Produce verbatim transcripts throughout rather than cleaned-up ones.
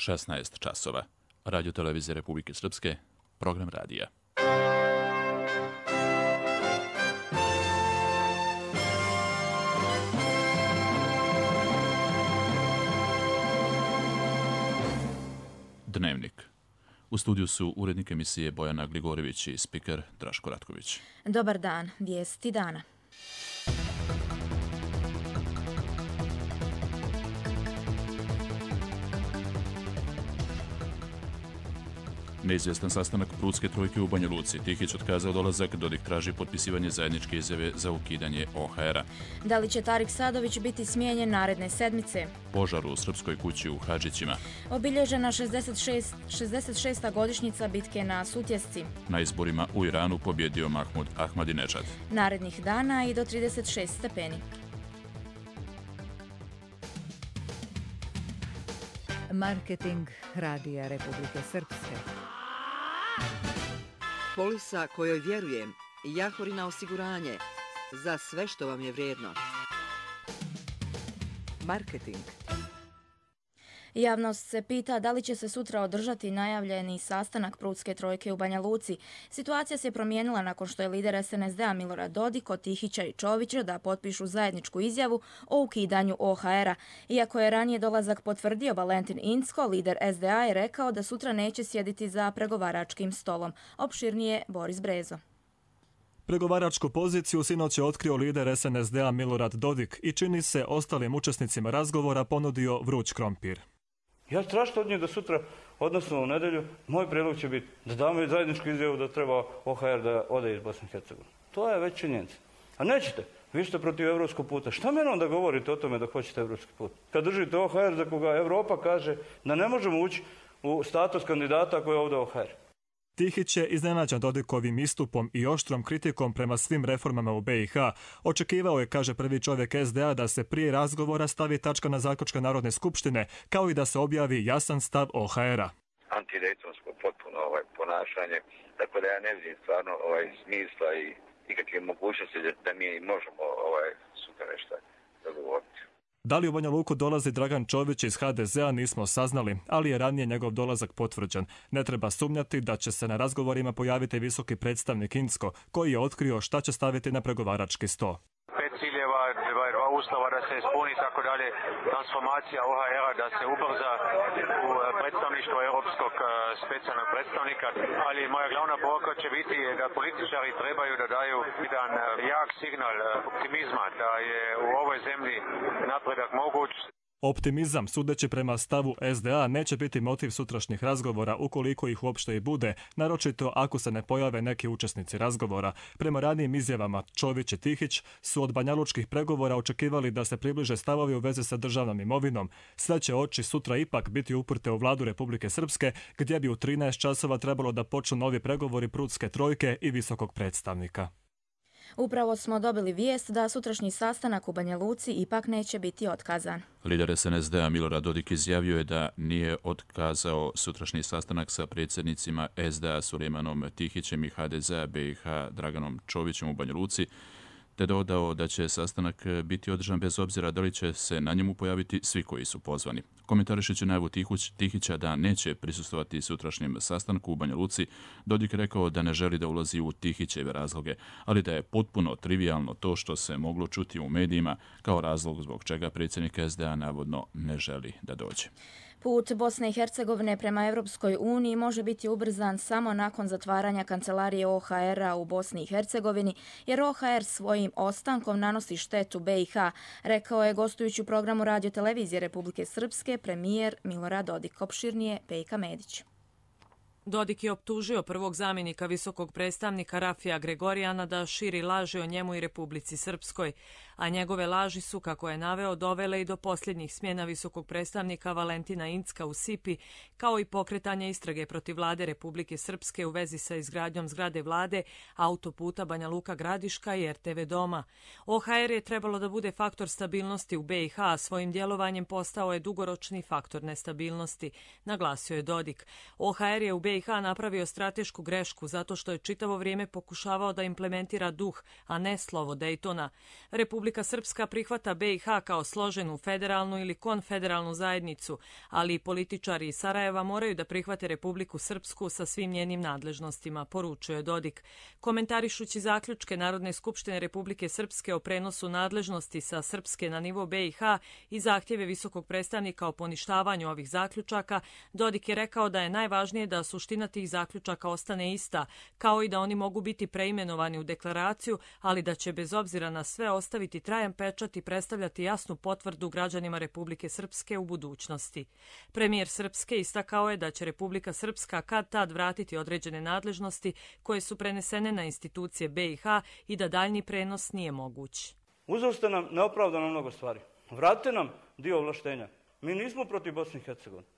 šesnaest časova. Radio televizije Republike Srpske, program radija. Dnevnik. U studiju su urednik emisije Bojana Gligorivić i spiker Draško Ratković. Dobar dan, vijesti dana. Neizvjestan sastanak Prudske trojke u Banja Luci. Tihić otkazao dolazak, Dodik traži potpisivanje zajedničke izjave za ukidanje O H R-a. Da li će Tarik Sadović biti smijenjen naredne sedmice? Požar u srpskoj kući u Hadžićima. Obilježena šezdeset šesta godišnjica bitke na Sutjesci. Na izborima u Iranu pobjedio Mahmud Ahmadinejad. Narednih dana i do trideset šest stepeni. Marketing Radija Republike Srpske. Polisa kojoj vjerujem, Jahorina osiguranje, za sve što vam je vrijedno. Marketing. Javnost se pita da li će se sutra održati najavljeni sastanak Prudske trojke u Banja Luci. Situacija se promijenila nakon što je lider S N S D-a Milorad Dodik od Tihića i Čovića da potpišu zajedničku izjavu o ukidanju O H R-a. Iako je ranije dolazak potvrdio Valentin Incko, lider S D A je rekao da sutra neće sjediti za pregovaračkim stolom. Opširnije Boris Brezo. Pregovaračku poziciju sinoć je otkrio lider S N S D-a Milorad Dodik i čini se ostalim učesnicima razgovora ponudio vruć krompir. Ja tražim od njih da sutra, odnosno u nedelju, moj prijedlog će biti da damo zajedničku izjavu da treba O H R da ode iz Bosne i Hercegovine. To je već činjenica. A nećete. Vi ste protiv evropskog puta. Šta meni onda govorite o tome da hoćete evropski put? Kad držite O H R za koga Evropa kaže da ne možemo ući u status kandidata ako je ovdje O H R. Tihić je iznenađen Dodikovim istupom i oštrom kritikom prema svim reformama u B i H. Očekivao je, kaže prvi čovjek S D A, da se prije razgovora stavi tačka na zaključke Narodne skupštine, kao i da se objavi jasan stav O H R-a. Antidejtonsko potpuno ovaj, ponašanje, tako da ja ne vidim stvarno ovaj, smisla i nikakve mogućnosti da mi možemo ovaj, sutra nešto dogovoriti. Da li u Banja Luku dolazi Dragan Čović iz H D Z-a nismo saznali, ali je ranije njegov dolazak potvrđen. Ne treba sumnjati da će se na razgovorima pojaviti visoki predstavnik Incko, koji je otkrio šta će staviti na pregovarački sto. Pet ciljeva, dva uslova da se ispuni, tako dalje, transformacija O H R-a da se ubrza u predstavništvo europskog specijalnog predstavnika, ali moja glavna poruka će biti da političari trebaju da daju jedan jak signal optimizma, da je u ovoj zemlji napredak moguć. Optimizam, sudeći prema stavu S D A, neće biti motiv sutrašnjih razgovora ukoliko ih uopšte i bude, naročito ako se ne pojave neki učesnici razgovora. Prema ranijim izjavama Čović i Tihić su od banjalučkih pregovora očekivali da se približe stavovi u vezi sa državnom imovinom. Sve će oči sutra ipak biti uprte u vladu Republike Srpske, gdje bi u trinaest časova trebalo da počnu novi pregovori Prudske trojke i visokog predstavnika. Upravo smo dobili vijest da sutrašnji sastanak u Banja Luci ipak neće biti otkazan. Lider S N S D-a Milorad Dodik izjavio je da nije otkazao sutrašnji sastanak sa predsjednicima S D A Sulejmanom Tihićem i H D Z-a B i H Draganom Čovićem u Banja Luci, te dodao da će sastanak biti održan bez obzira da li će se na njemu pojaviti svi koji su pozvani. Komentarišući najavu Tihića da neće prisustvovati sutrašnjem sastanku u Banja Luci, Dodik rekao da ne želi da ulazi u Tihićeve razloge, ali da je potpuno trivijalno to što se moglo čuti u medijima kao razlog zbog čega predsjednik S D A navodno ne želi da dođe. Put Bosne i Hercegovine prema Europskoj uniji može biti ubrzan samo nakon zatvaranja kancelarije O H R-a u Bosni i Hercegovini, jer O H R svojim ostankom nanosi štetu B i H, rekao je gostujući u programu Radio televizije Republike Srpske premijer Milorad Dodik. Opširnije Pejka Medić. Dodik je optužio prvog zamjenika visokog predstavnika Rafija Gregorijana da širi laži o njemu i Republici Srpskoj, a njegove laži su, kako je naveo, dovele i do posljednjih smjena visokog predstavnika Valentina Incka u Sipi, kao i pokretanja istrage protiv vlade Republike Srpske u vezi sa izgradnjom zgrade vlade, autoputa Banja Luka Gradiška i R T V doma. O H R je trebalo da bude faktor stabilnosti u B i H, a svojim djelovanjem postao je dugoročni faktor nestabilnosti, naglasio je Dodik. O H R je u B i H napravio stratešku grešku zato što je čitavo vrijeme pokušavao da implementira duh, a ne slovo Dejtona. Republika Republika Srpska prihvata B i H kao složenu federalnu ili konfederalnu zajednicu, ali i političari iz Sarajeva moraju da prihvate Republiku Srpsku sa svim njenim nadležnostima, poručuje Dodik. Komentarišući zaključke Narodne skupštine Republike Srpske o prenosu nadležnosti sa Srpske na nivo B i H i zahtjeve visokog predstavnika o poništavanju ovih zaključaka, Dodik je rekao da je najvažnije da suština tih zaključaka ostane ista, kao i da oni mogu biti preimenovani u deklaraciju, ali da će bez obzira na sve ostaviti trajan pečat i predstavljati jasnu potvrdu građanima Republike Srpske u budućnosti. Premijer Srpske istakao je da će Republika Srpska kad tad vratiti određene nadležnosti koje su prenesene na institucije B i H i da daljnji prenos nije moguć. Uzeli ste nam neopravdano mnogo stvari. Vratite nam dio ovlaštenja. Mi nismo protiv Bosne i Hercegovine,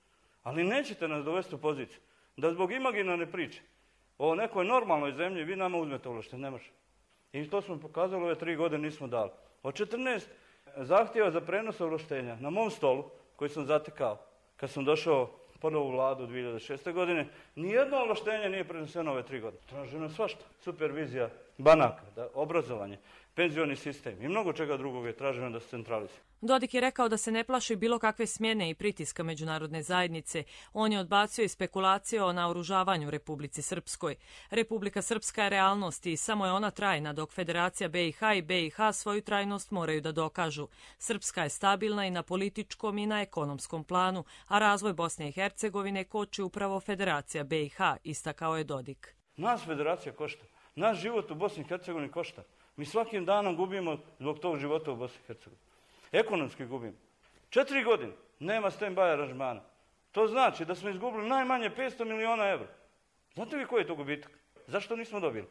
ali nećete nas dovesti u poziciju da zbog imaginarne priče o nekoj normalnoj zemlji vi nama uzmete ovlaštenje. Ne može. I to smo pokazali, ove tri godine nismo dali. Od četrnaest zahtjeva za prenos ovlaštenja na mom stolu, koji sam zatekao kad sam došao ponovo u vladu dvije hiljade šeste. godine, nijedno ovlaštenje nije preneseno ove tri godine. Traženo je svašta. Supervizija banaka, da, obrazovanje, penzioni sistem i mnogo čega drugog je traženo da se centralizuje. Dodik je rekao da se ne plaši bilo kakve smjene i pritiska međunarodne zajednice. On je odbacio i spekulacije o naoružavanju Republici Srpskoj. Republika Srpska je realnost i samo je ona trajna, dok Federacija B i H i B i H svoju trajnost moraju da dokažu. Srpska je stabilna i na političkom i na ekonomskom planu, a razvoj Bosne i Hercegovine koči upravo Federacija B i H, istakao je Dodik. Nas Federacija košta. Naš život u Bosni i Hercegovini košta. Mi svakim danom gubimo zbog tog života u Bosni i Hercegovini. Ekonomski gubimo. Četiri godine nema stand-by aranžmana. To znači da smo izgubili najmanje petsto miliona evra. Znate vi koji je to gubitak? Zašto nismo dobili?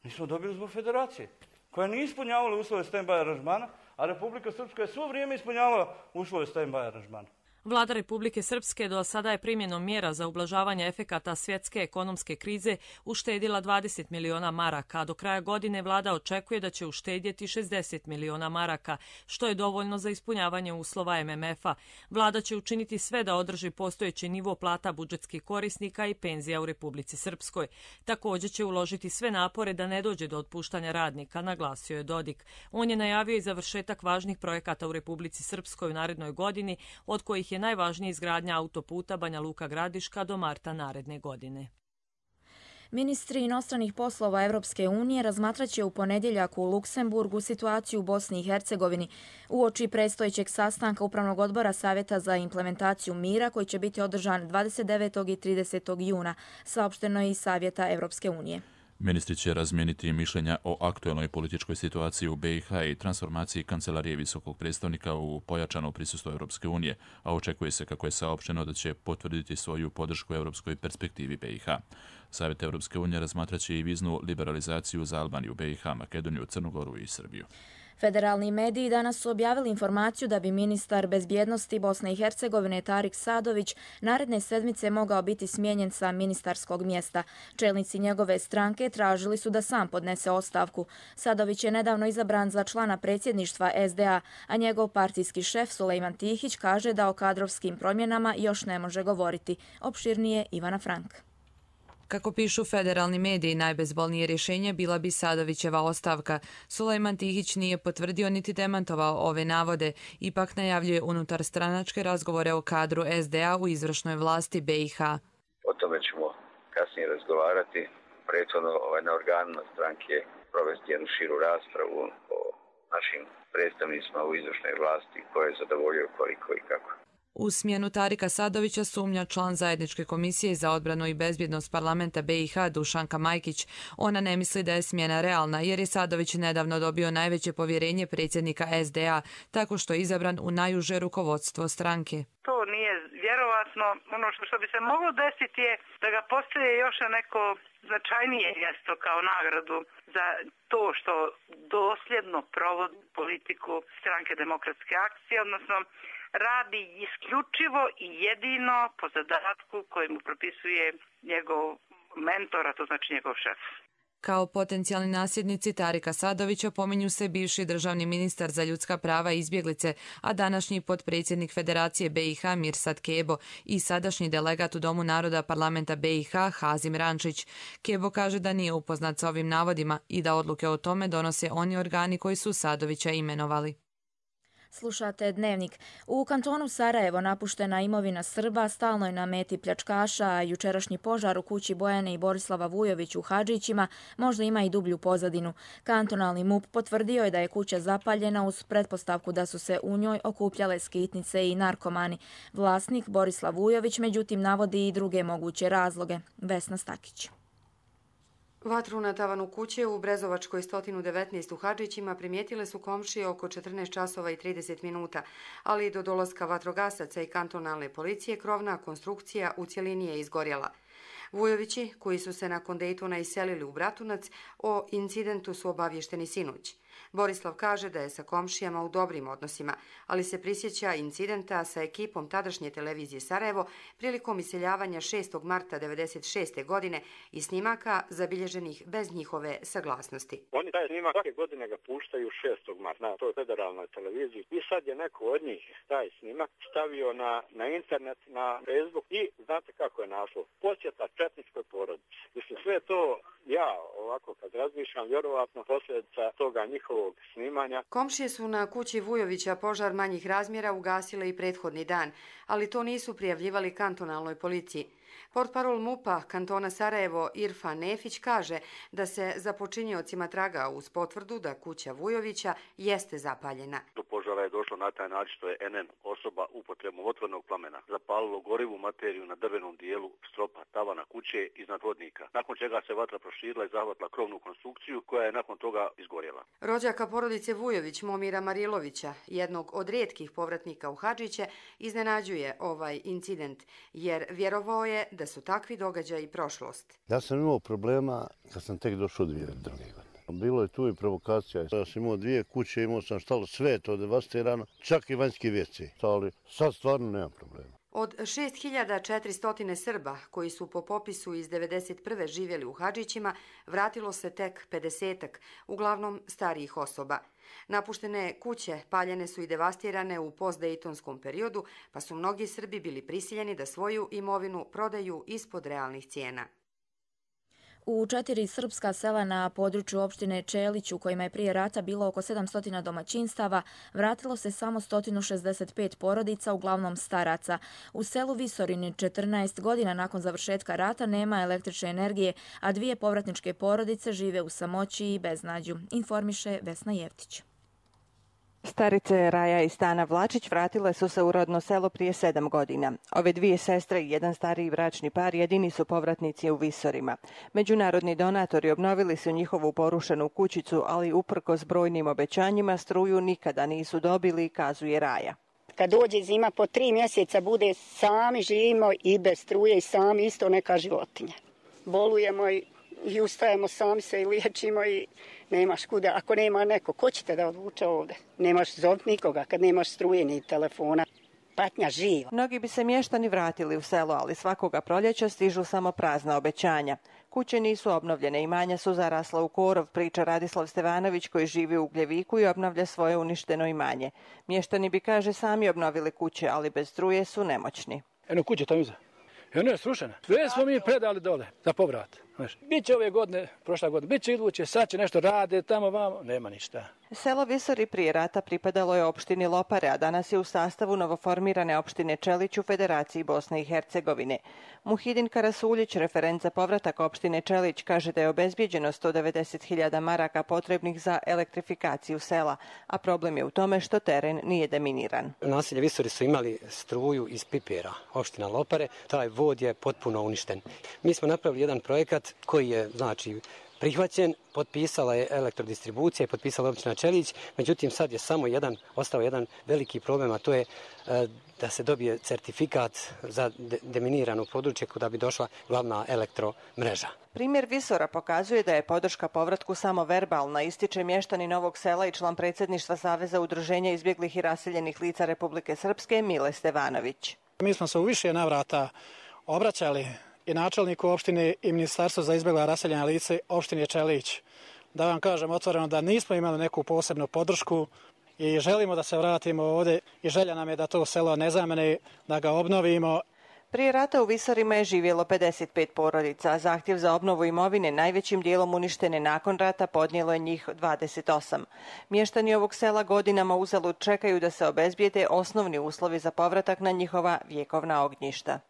Nismo dobili zbog Federacije, koja nije ispunjavala uslove stand-by aranžmana, a Republika Srpska je svo vrijeme ispunjavala uslove stand-by aranžmana. Vlada Republike Srpske do sada je primjenom mjera za ublažavanje efekata svjetske ekonomske krize uštedila dvadeset miliona maraka, a do kraja godine vlada očekuje da će uštedjeti šezdeset miliona maraka, što je dovoljno za ispunjavanje uslova M M F-a. Vlada će učiniti sve da održi postojeći nivo plata budžetskih korisnika i penzija u Republici Srpskoj. Također će uložiti sve napore da ne dođe do otpuštanja radnika, naglasio je Dodik. On je najavio i završetak važnih projekata u Republici Srpskoj u narednoj godini, od kojih je najvažnija izgradnja autoputa Banja Luka Gradiška do marta naredne godine. Ministri inostranih poslova Evropske unije razmatraće u ponedjeljak u Luksemburgu situaciju u Bosni i Hercegovini uoči predstojećeg sastanka Upravnog odbora Savjeta za implementaciju mira koji će biti održan dvadeset devetog i tridesetog juna, saopšteno je iz Savjeta Evropske unije. Ministri će razmijeniti mišljenja o aktuelnoj političkoj situaciji u B i H i transformaciji Kancelarije visokog predstavnika u pojačano prisustvo Europske unije, a očekuje se, kako je saopšteno, da će potvrditi svoju podršku europskoj perspektivi B i H. Savjet Europske unije razmatraće i viznu liberalizaciju za Albaniju, B i H, Makedoniju, Crnu Goru i Srbiju. Federalni mediji danas su objavili informaciju da bi ministar bezbjednosti Bosne i Hercegovine Tarik Sadović naredne sedmice mogao biti smijenjen sa ministarskog mjesta. Čelnici njegove stranke tražili su da sam podnese ostavku. Sadović je nedavno izabran za člana predsjedništva S D A, a njegov partijski šef Sulejman Tihić kaže da o kadrovskim promjenama još ne može govoriti. Opširnije Ivana Frank. Kako pišu federalni mediji, najbezbolnije rješenje bila bi Sadovićeva ostavka. Sulejman Tihić nije potvrdio niti demantovao ove navode, ipak najavljuje unutar stranačke razgovore o kadru S D A u izvršnoj vlasti B i H. O tome ćemo kasnije razgovarati. Prethodno ovaj, na organima stranke provesti jednu širu raspravu o našim predstavnicima u izvršnoj vlasti, koje je zadovoljio koliko i kako. U smjenu Tarika Sadovića sumnja član zajedničke komisije za odbranu i bezbjednost parlamenta B i H Dušanka Majkić. Ona ne misli da je smjena realna jer je Sadović nedavno dobio najveće povjerenje predsjednika S D A tako što je izabran u najuže rukovodstvo stranke. To nije vjerovatno. Ono što, što bi se moglo desiti je da ga postaje još neko značajnije mjesto kao nagradu za to što dosljedno provodi politiku stranke Demokratske akcije, odnosno radi isključivo i jedino po zadatku koji mu propisuje njegov mentor, a to znači njegov šef. Kao potencijalni nasljednici Tarika Sadovića pominju se bivši državni ministar za ljudska prava i izbjeglice, a današnji potpredsjednik Federacije B i H Mirsad Kebo i sadašnji delegat u Domu naroda parlamenta B i H Hazim Rančić. Kebo kaže da nije upoznat sa ovim navodima i da odluke o tome donose oni organi koji su Sadovića imenovali. Slušate Dnevnik. U kantonu Sarajevo napuštena imovina Srba stalno je na meti pljačkaša, a jučerašnji požar u kući Bojane i Borislava Vujović u Hadžićima možda ima i dublju pozadinu. Kantonalni M U P potvrdio je da je kuća zapaljena uz pretpostavku da su se u njoj okupljale skitnice i narkomani. Vlasnik Borislav Vujović međutim navodi i druge moguće razloge. Vesna Stakić. Vatru na tavanu kuće u Brezovačkoj sto devetnaest u Hadžićima primijetile su komšije oko četrnaest časova i trideset minuta, ali do dolaska vatrogasaca i kantonalne policije krovna konstrukcija u cjelini je izgorjela. Vujovići, koji su se nakon Dejtona iselili u Bratunac, o incidentu su obavješteni sinoć. Borislav kaže da je sa komšijama u dobrim odnosima, ali se prisjeća incidenta sa ekipom tadašnje televizije Sarajevo prilikom iseljavanja šestog marta devedeset šeste. godine i snimaka zabilježenih bez njihove saglasnosti. Oni taj snimak svake godine ga puštaju šestog marta na toj federalnoj televiziji i sad je neko od njih taj snimak stavio na, na internet, na Facebook i znate kako je naslov? Posjeta četničkoj porodici. Mislim, sve to ja ovako kad razmišljam, vjerovatno posljedica toga njihovog snimanja. Komšije su na kući Vujovića požar manjih razmjera ugasile i prethodni dan, ali to nisu prijavljivali kantonalnoj policiji. Portparol M U P-a kantona Sarajevo Irfan Nefić kaže da se za počiniocima traga uz potvrdu da kuća Vujovića jeste zapaljena. Do požara je došlo na taj način što je N N osoba upotrebom otvornog plamena zapalilo gorivu materiju na drvenom dijelu stropa tavana kuće iznad hodnika, nakon čega se vatra proširila i zahvatila krovnu konstrukciju koja je nakon toga izgorjela. Rođaka porodice Vujović Momira Marilovića, jednog od rijetkih povratnika u Hadžiće, iznenađuje ovaj incident jer vjerovao je da su takvi događaji prošlost. Ja sam imao problema kad sam tek došao dvije druge godine. Bilo je tu i provokacija. Ja sam imao dvije kuće, imao sam štalo, sve to devastirano, čak i vanjski ve ce. Ali sad stvarno nema problema. Od šest hiljada četiristo Srba koji su po popisu iz devedeset prve živjeli u Hadžićima, vratilo se tek pedesetak, uglavnom starijih osoba. Napuštene kuće paljene su i devastirane u postdejtonskom periodu, pa su mnogi Srbi bili prisiljeni da svoju imovinu prodaju ispod realnih cijena. U četiri srpska sela na području opštine Čelić, u kojima je prije rata bilo oko sedamsto domaćinstava, vratilo se samo sto šezdeset pet porodica, uglavnom staraca. U selu Visorini četrnaest godina nakon završetka rata nema električne energije, a dvije povratničke porodice žive u samoći i beznađu, informiše Vesna Jevtić. Starice Raja i Stana Vlačić vratile su se u rodno selo prije sedam godina. Ove dvije sestre i jedan stariji bračni par jedini su povratnici u Visorima. Međunarodni donatori obnovili su njihovu porušenu kućicu, ali uprkos brojnim obećanjima struju nikada nisu dobili, kazuje Raja. Kad dođe zima po tri mjeseca bude sami živimo i bez struje i sami isto neka životinja. Bolujemo i, i ustajemo, sami se i liječimo i nemaš kuda. Ako nema neko, ko će te da odvuče ovdje? Nemaš zovt nikoga kad nemaš struje ni telefona. Patnja živa. Mnogi bi se mještani vratili u selo, ali svakoga proljeća stižu samo prazna obećanja. Kuće nisu obnovljene, imanja su zarasla u korov, priča Radislav Stevanović koji živi u Ugljeviku i obnavlja svoje uništeno imanje. Mještani bi, kaže, sami obnovili kuće, ali bez struje su nemoćni. Eno kuće tamo iza. Ona je srušena. Sve smo mi predali dole za povrat. Biće ove godine, prošla godina, biće iduće, sad će nešto rade, tamo vamo, nema ništa. Selo Visori prije rata pripadalo je opštini Lopare, a danas je u sastavu novoformirane opštine Čelić u Federaciji Bosne i Hercegovine. Muhidin Karasuljić, referent za povratak opštine Čelić, kaže da je obezbijeđeno sto devedeset hiljada maraka potrebnih za elektrifikaciju sela, a problem je u tome što teren nije deminiran. Naselje Visori su imali struju iz pipera, opština Lopare, taj vod je potpuno uništen. Mi smo napravili jedan projekat koji je, znači, prihvaćen, potpisala je elektrodistribucija i potpisala općina Čelić, međutim sad je samo jedan, ostao jedan veliki problem, a to je e, da se dobije certifikat za de, deminirano područje kuda bi došla glavna elektromreža. Primjer Visora pokazuje da je podrška povratku samo verbalna, ističe mještani Novog Sela i član predsjedništva Saveza udruženja izbjeglih i raseljenih lica Republike Srpske Mile Stevanović. Mi smo se u više navrata obraćali i načelniku opštine i ministarstvu za izbjegla raseljena lice opštine Čelić. Da vam kažem otvoreno da nismo imali neku posebnu podršku i želimo da se vratimo ovdje i želja nam je da to selo ne zamene, da ga obnovimo. Prije rata u Visorima je živjelo pedeset pet porodica, a zahtjev za obnovu imovine najvećim dijelom uništene nakon rata podnijelo je njih dvadeset osam. Mještani ovog sela godinama uzalud čekaju da se obezbijede osnovni uslovi za povratak na njihova vjekovna ognjišta.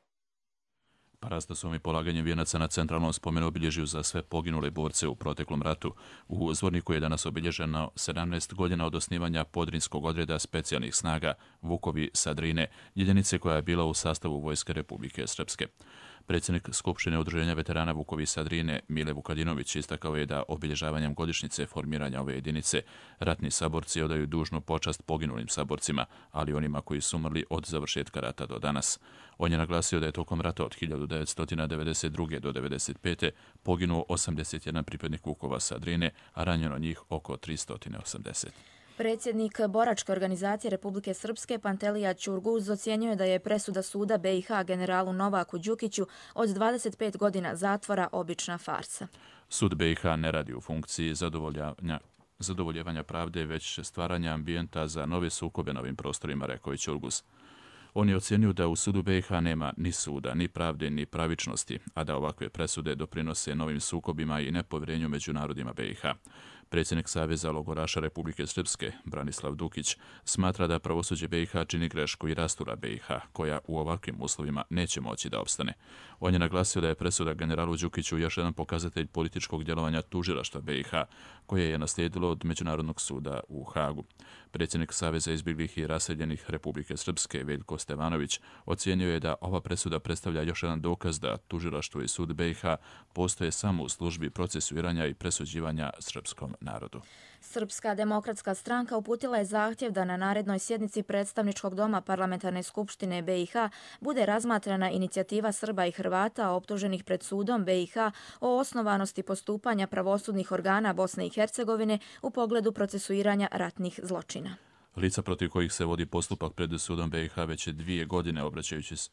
Parastosom i polaganjem vijenaca na centralnom spomenu obilježju za sve poginule borce u proteklom ratu. U Zvorniku je danas obilježeno sedamnaest godina od osnivanja Podrinskog odreda specijalnih snaga Vukovi sa Drine, jedinice koja je bila u sastavu Vojske Republike Srpske. Predsjednik Skupštine Udruženja veterana Vukovi sa Drine, Mile Vukadinović, istakao je da obilježavanjem godišnjice formiranja ove jedinice ratni saborci odaju dužnu počast poginulim saborcima, ali onima koji su umrli od završetka rata do danas. On je naglasio da je tokom rata od hiljadu devetsto devedeset druge do devedeset pete poginuo osamdeset jedan pripadnik Vukova sa Drine, a ranjeno njih oko tristo osamdeset. Predsjednik boračke organizacije Republike Srpske Pantelija Ćurguz ocjenjuje da je presuda suda B i H generalu Novaku Đukiću od dvadeset pet godina zatvora obična farsa. Sud B i H ne radi u funkciji zadovoljavanja zadovoljevanja pravde, već stvaranja ambijenta za nove sukobe na ovim prostorima, rekao je Ćurguz. On je ocjenio da u sudu B i H nema ni suda, ni pravde, ni pravičnosti, a da ovakve presude doprinose novim sukobima i nepovjerenju među narodima B i H. Predsjednik Saveza logoraša Republike Srpske, Branislav Dukić, smatra da pravosuđe B i H čini grešku i rastura B i H, koja u ovakvim uslovima neće moći da opstane. On je naglasio da je presuda generalu Đukiću još jedan pokazatelj političkog djelovanja tužilaštva B i H, koje je naslijedilo od Međunarodnog suda u Hagu. Predsjednik Saveza izbjeglih i raseljenih Republike Srpske, Veljko Stevanović, ocijenio je da ova presuda predstavlja još jedan dokaz da tužilaštvo i sud B i H postoje samo u službi procesuiranja i presuđivanja srpskom narodu. Srpska demokratska stranka uputila je zahtjev da na narednoj sjednici predstavničkog doma Parlamentarne skupštine B i H bude razmatrana inicijativa Srba i Hrvata optuženih pred sudom B i H o osnovanosti postupanja pravosudnih organa Bosne i Hercegovine u pogledu procesuiranja ratnih zločina. Lica protiv kojih se vodi postupak pred sudom B i H već dvije godine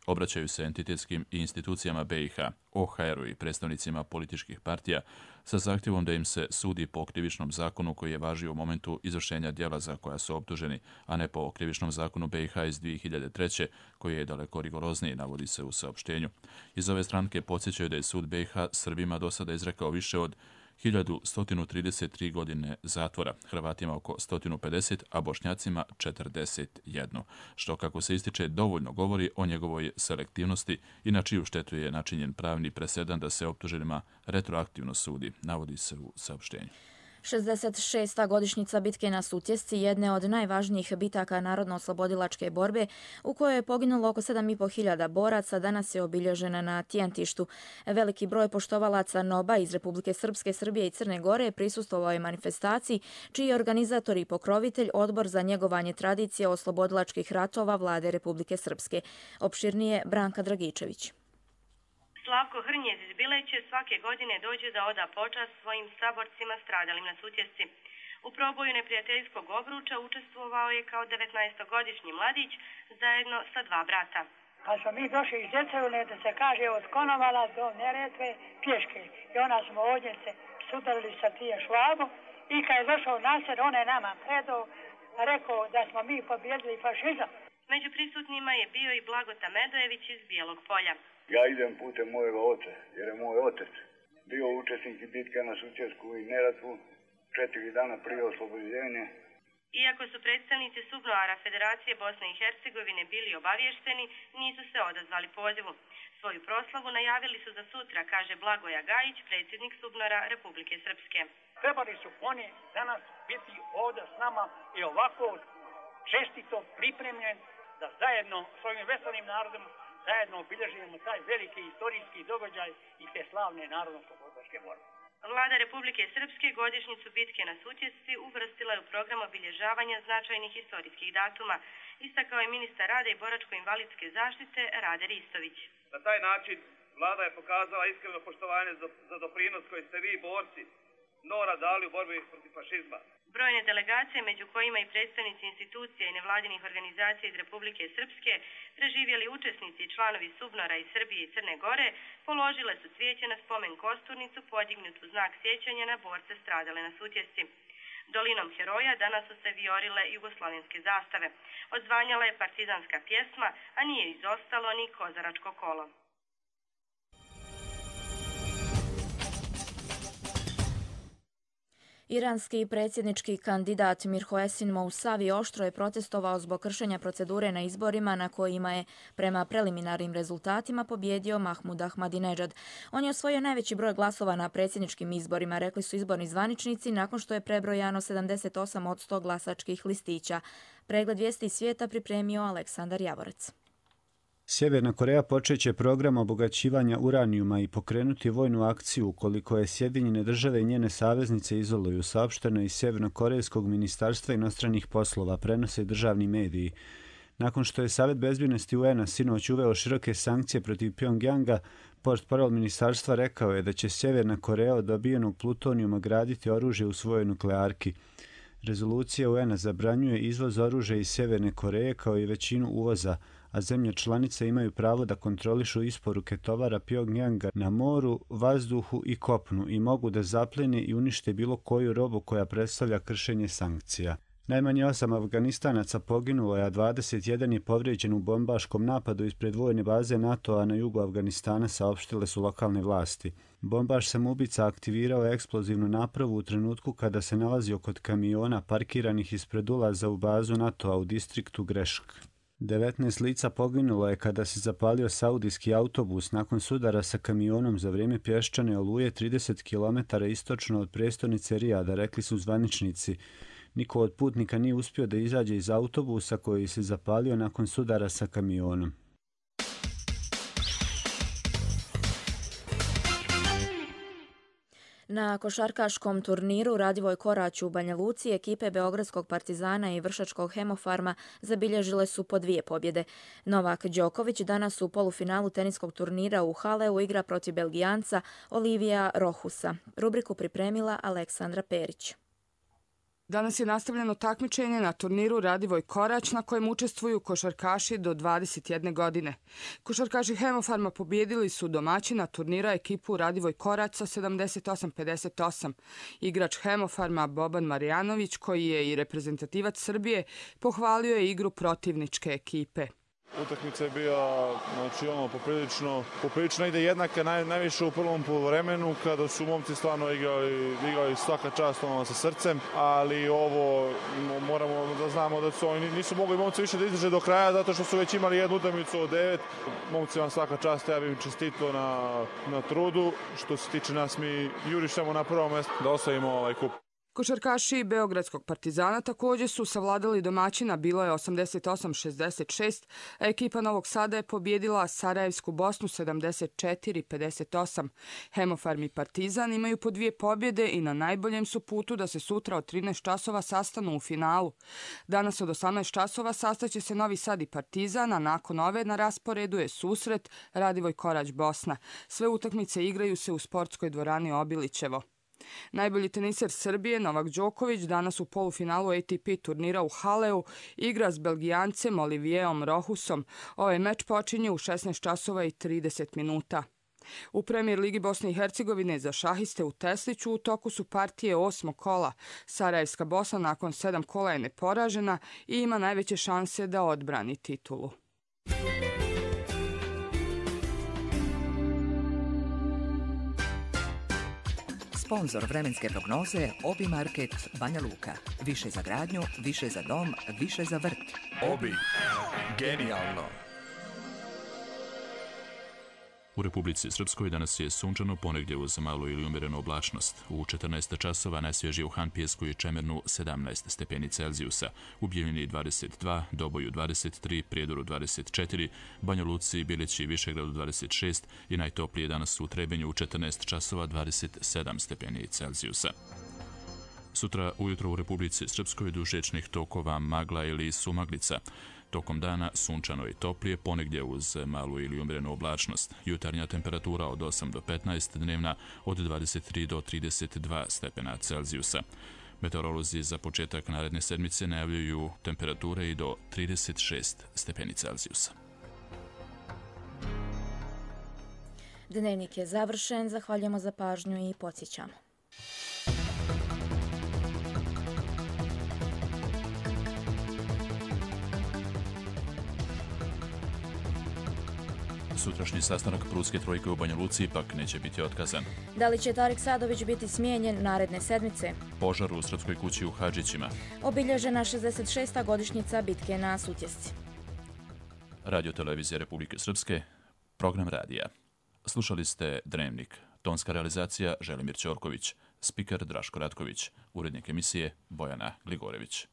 obraćaju se entitetskim i institucijama B i H, O H R-u i predstavnicima političkih partija sa zahtjevom da im se sudi po krivičnom zakonu koji je važio u momentu izvršenja djela za koja su optuženi, a ne po krivičnom zakonu B i H iz dvije hiljade treće koji je daleko rigorozniji, navodi se u saopštenju. Iz ove stranke podsjećaju da je sud B i H Srbima do sada izrekao više od hiljadu sto trideset tri godine zatvora, Hrvatima oko sto pedeset, a Bošnjacima četrdeset jedan, što, kako se ističe, dovoljno govori o njegovoj selektivnosti i na čiju štetu je načinjen pravni presedan da se optuženima retroaktivno sudi, navodi se u saopštenju. šezdeset šesta godišnjica bitke na Sutjesci, jedne od najvažnijih bitaka narodno-oslobodilačke borbe, u kojoj je poginulo oko sedam i po hiljada boraca, danas je obilježena na Tijentištu. Veliki broj poštovalaca NOB-a iz Republike Srpske, Srbije i Crne Gore prisustvovao je manifestaciji, čiji je organizator i pokrovitelj Odbor za njegovanje tradicije oslobodilačkih ratova Vlade Republike Srpske. Opširnije Branka Dragičević. Slavko Hrnjez iz Bileće svake godine dođe da oda počast svojim saborcima stradalim na Sutjesci. U proboju neprijateljskog obruča učestvovao je kao devetnaestogodišnji mladić zajedno sa dva brata. Pa smo mi došli iz Đecevine, da se kaže, od Konovala do Neretve pješke. I onda smo ovdje se sudarili sa tije švabom i kad je došao nasred, on je nama predao, rekao da smo mi pobjedili fašizam. Među prisutnima je bio i Blagota Medojević iz Bijelog Polja. Ja idem putem mojega oca, jer je moj otec bio učesnik bitke na Sutjesku i Neretvu četiri dana prije oslobođenja. Iako su predstavnici Subnoara Federacije Bosne i Hercegovine bili obavješteni, nisu se odazvali pozivu. Svoju proslavu najavili su za sutra, kaže Blagoja Gajić, predsjednik Subnora Republike Srpske. Trebali su oni danas biti ovdje s nama i ovako čestito pripremljen da zajedno s ovim veselim narodom zajedno obilježujemo taj veliki istorijski događaj i te slavne narodno-oslobodilačke borbe. Vlada Republike Srpske godišnjicu bitke na Sutjesci uvrstila je u program obilježavanja značajnih historijskih datuma, istakao je ministar rada i boračko-invalidske zaštite Rade Ristović. Na taj način vlada je pokazala iskreno poštovanje za doprinos koji ste vi, borci, Nora, dali u borbi protiv fašizma. Brojne delegacije, među kojima i predstavnici institucija i nevladinih organizacija iz Republike Srpske, preživjeli učesnici i članovi SUBNOR-a iz Srbije i Crne Gore, položile su cvijeće na spomen kosturnicu podignutu znak sjećanja na borce stradale na Sutjesci. Dolinom heroja danas su se vijorile jugoslavenske zastave. Odzvanjala je partizanska pjesma, a nije izostalo ni kozaračko kolo. Iranski predsjednički kandidat Mirhoesin Mousavi oštro je protestovao zbog kršenja procedure na izborima na kojima je prema preliminarnim rezultatima pobjedio Mahmud Ahmadinejad. On je osvojio najveći broj glasova na predsjedničkim izborima, rekli su izborni zvaničnici nakon što je prebrojano sedamdeset osam od sto glasačkih listića. Pregled vijesti svijeta pripremio Aleksandar Javorec. Sjeverna Koreja počeće program obogaćivanja uranijuma i pokrenuti vojnu akciju ukoliko je Sjedinjene države i njene saveznice izoluju, saopšteno iz Sjevernokorejskog ministarstva inostranih poslova, prenose državni mediji. Nakon što je Savet bezbjednosti U N-a sinoć uveo široke sankcije protiv Pjongjanga, portparol ministarstva rekao je da će Sjeverna Koreja od dobijenog plutonijuma graditi oružje u svojoj nuklearki. Rezolucija U N-a zabranjuje izvoz oružja iz Sjeverne Koreje kao i većinu uvoza, a zemlje članice imaju pravo da kontrolišu isporuke tovara Pjongjanga na moru, vazduhu i kopnu i mogu da zapljene i unište bilo koju robu koja predstavlja kršenje sankcija. Najmanje osam Afganistanaca poginulo je, a dvadeset jedan je povrijeđen u bombaškom napadu ispred vojne baze NATO-a na jugu Afganistana, saopštile su lokalne vlasti. Bombaš samoubica aktivirao je eksplozivnu napravu u trenutku kada se nalazio kod kamiona parkiranih ispred ulaza u bazu NATO-a u distriktu Grešk. devetnaest lica poginulo je kada se zapalio saudijski autobus nakon sudara sa kamionom za vrijeme pješčane oluje trideset kilometara istočno od prijestolnice Rijada, rekli su zvaničnici. Niko od putnika nije uspio da izađe iz autobusa koji se zapalio nakon sudara sa kamionom. Na košarkaškom turniru Radivoj Korać u Banja Luci ekipe Beogradskog Partizana i Vršačkog Hemofarma zabilježile su po dvije pobjede. Novak Đoković danas u polufinalu teniskog turnira u Haleu igra protiv Belgijanca Olivija Rohusa. Rubriku pripremila Aleksandra Perić. Danas je nastavljeno takmičenje na turniru Radivoj Korać na kojem učestvuju košarkaši do dvadeset jedne godine. Košarkaši Hemofarma pobjedili su domaćina turnira ekipu Radivoj Korać sa sedamdeset osam pedeset osam. Igrač Hemofarma Boban Marjanović, koji je i reprezentativac Srbije, pohvalio je igru protivničke ekipe. Utakmica je bila, znači ono, poprilično, poprilično ide jednaka, naj, najviše u prvom poluvremenu, kada su momci stvarno igrali, igrali svaka čast ono, sa srcem, ali ovo moramo da znamo da su oni nisu mogli momci više da izdrže do kraja, zato što su već imali jednu utakmicu od devet. Momci vam svaka čast, ja bih im čestito na, na trudu. Što se tiče nas, mi jurišemo na prvo mjesto da osvojimo ovaj kup. Košarkaši Beogradskog Partizana također su savladali domaćina, bilo je osamdeset osam šezdeset šest, a ekipa Novog Sada je pobjedila Sarajevsku Bosnu sedamdeset četiri pedeset osam. Hemofarm i Partizan imaju po dvije pobjede i na najboljem su putu da se sutra od trinaest časova sastanu u finalu. Danas od osamnaest časova sastaće se Novi Sad i Partizan, a nakon ove na rasporedu je susret Radivoj Korać Bosna. Sve utakmice igraju se u sportskoj dvorani Obilićevo. Najbolji teniser Srbije Novak Đoković danas u polufinalu A T P turnira u Haleu igra s Belgijancem Olivijeom Rohusom. Ovaj meč počinje u šesnaest časova i trideset minuta. U Premijer Ligi Bosne i Hercegovine za šahiste u Tesliću u toku su partije osmog kola. Sarajevska Bosna nakon sedam kola je neporažena i ima najveće šanse da odbrani titulu. Sponzor vremenske prognoze Obi Market Banja Luka. Više za gradnju, više za dom, više za vrt. Obi. Genijalno. U Republici Srpskoj danas je sunčano, ponegdje uz malu ili umjerenu oblačnost. U četrnaest časova najsvježije u Han, Pijesku i Čemernu sedamnaest stepeni Celzijusa, u Bijeljini dvadeset dva, Doboju dvadeset tri, Prijedoru dvadeset četiri, Banja Luci, Bilići i Višegradu dvadeset šest i najtoplije danas u Trebenju u četrnaest časova dvadeset sedam stepeni Celzijusa. Sutra ujutro u Republici Srpskoj duž riječnih tokova magla ili sumaglica. Tokom dana sunčano i toplije, ponegdje uz malu ili umjerenu oblačnost. Jutarnja temperatura od osam do petnaest, dnevna od dvadeset tri do trideset dva stepena Celzijusa. Meteorolozi za početak naredne sedmice najavljuju temperature i do trideset šest stepeni Celzijusa. Dnevnik je završen, zahvaljujemo za pažnju i podsjećamo. Sutrašnji sastanak Prudske trojke u Banja Luci ipak neće biti otkazan. Da li će Tarik Sadović biti smijenjen naredne sedmice? Požar u Srpskoj kući u Hadžićima. Obilježena šezdeset šesta godišnjica bitke na Sutjesci. Radio televizija Republike Srpske, program radija. Slušali ste Dnevnik. Tonska realizacija Želimir Ćorković, spiker Draško Ratković, urednik emisije Bojana Gligorević.